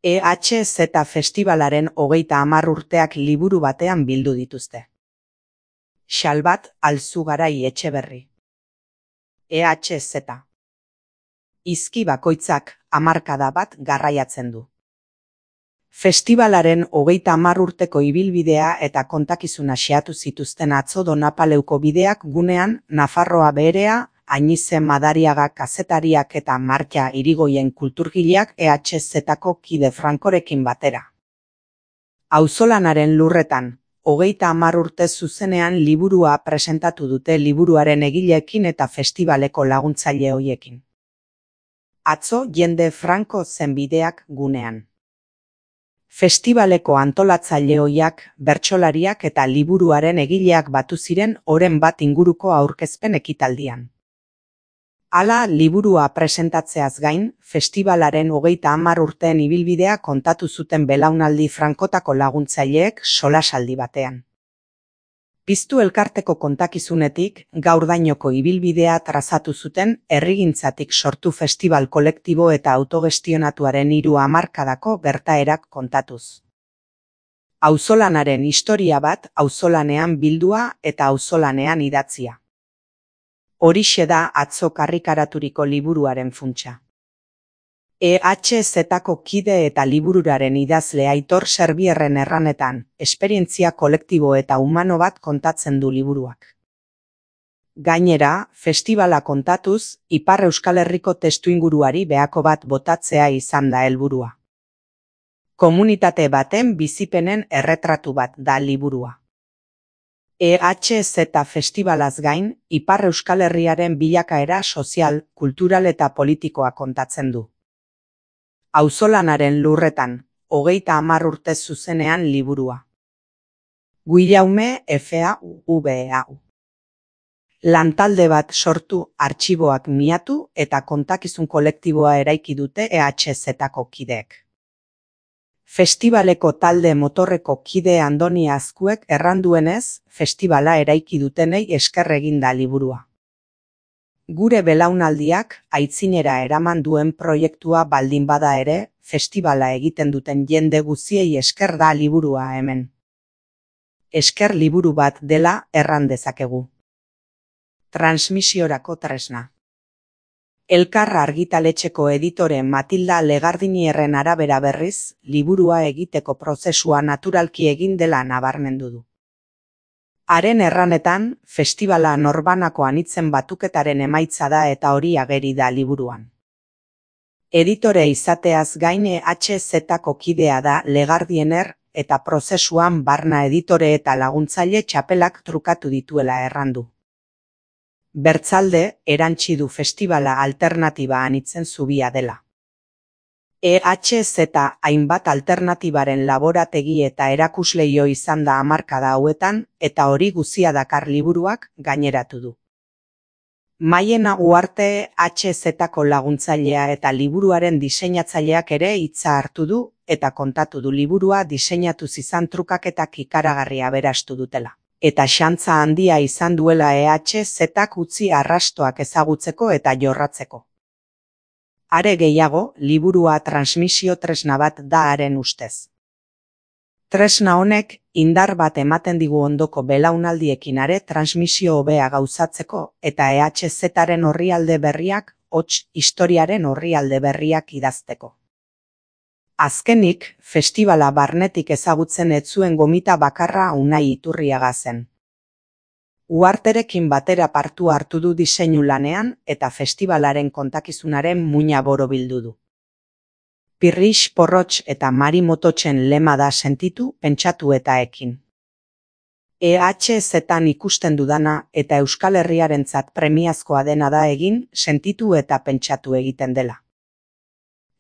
EHZ Festivalaren 30 urteak liburu batean bildu dituzte. Xalbat Alzugarai Etxeberri. EHZ. Izki bakoitzak hamarkada bat garraiatzen du. Festivalaren 30 urteko ibilbidea eta kontakizuna xeatu zituzten atzo Donapaleuko bideak gunean Nafarroa Beherea, Ainize Madariaga kazetariak eta Martxa Irigoyen kulturgileak EHZ-ko kide Frankorekin batera. Auzolanaren lurretan, 30 urte zuzenean liburua presentatu dute liburuaren egileekin eta festivaleko laguntzaile hoiekin. Atzo jende franko zen bideak gunean. Festivaleko antolatzaile hoiak, bertsolariak eta liburuaren egileak batu ziren oren bat inguruko aurkezpen ekitaldian. Hala, liburua presentatzeaz gain, festivalaren 30 urteen ibilbidea kontatu zuten belaunaldi frankotako laguntzaileek solasaldi batean. Piztu elkarteko kontakizunetik, gaurdainoko ibilbidea trazatu zuten herrigintzatik sortu festival kolektibo eta autogestionatuaren 3 hamarkadako gertaerak kontatuz. Auzolanaren historia bat auzolanean bildua eta auzolanean idatzia. Horixe da atzo karrikaraturiko liburuaren funtsa. EHZ-ko kide eta libururaren idazle Aitor Serbierren erranetan, esperientzia kolektibo eta humano bat kontatzen du liburuak. Gainera, festivala kontatuz, Ipar Euskal Herriko testuinguruari behako bat botatzea izan da helburua. Komunitate baten bizipenen erretratu bat da liburua. EHZ festivalaz gain, Ipar Euskal Herriaren bilakaera sozial, kultural eta politikoa kontatzen du. Auzolanaren lurretan, 30 urte zuzenean liburua. Guillaume FAUVEAU. Lantalde bat sortu, artxiboak miatu eta kontakizun kolektiboa eraiki dute EHZ-ko kideek. Festivaleko talde motorreko kide Andoni Azkuek erranduenez, festivala eraiki dutenei esker egin da liburua. Gure belaunaldiak aitzinera eraman duen proiektua baldin bada ere, festivala egiten duten jende guztiei esker da liburua hemen. Esker liburu bat dela erran dezakegu. Transmisiorako tresna. Elkar argitaletxeko editore Matilda Legardinierren arabera berriz, liburua egiteko prozesua naturalki egin dela nabarmendu du. Haren erranetan, festivala norbanako anitzen batuketaren emaitza da eta hori ageri da liburuan. Editore izateaz gain EHZ-ko kidea da Legardiner eta prozesuan barna editore eta laguntzaile txapelak trukatu dituela errandu. Bertzalde, erantsi du festivala alternatiba anitzen zubia dela. EHZ hainbat alternatibaren laborategi eta erakusleio izan da hamarkada hauetan eta hori guzia dakar liburuak gaineratu du. Maiena Uarte EHZ-ko laguntzailea eta liburuaren diseinatzaileak ere hitza hartu du eta kontatu du liburua diseinatu izan trukaketak ikaragarri aberastu dutela. Eta xantza handia izan duela EHZ-ak utzi arrastoak ezagutzeko eta jorratzeko. Are gehiago, liburua transmisio tresna bat da haren ustez. Tresna honek, indar bat ematen digu ondoko belaunaldiekin are transmisio hobea gauzatzeko eta EHZ-aren orrialde berriak, hots historiaren orrialde berriak idazteko. Azkenik, festivala barnetik ezagutzen ez zuen gomita bakarra Unai Iturriaga zen. Uarterekin batera partu hartu du diseinu lanean eta festivalaren kontakizunaren muina borobildu du. Pirrix Porrotx eta Mari Mototxen lema da sentitu, pentsatu eta ekin. EHZ-an ikusten dudana eta Euskal Herriarentzat premiazkoa dena da egin, sentitu eta pentsatu egiten dela.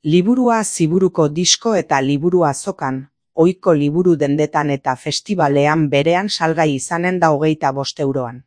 Liburua Ziburuko disko eta liburu azokan, ohiko liburu dendetan eta festivalean berean salgai izanen da 25 euroan.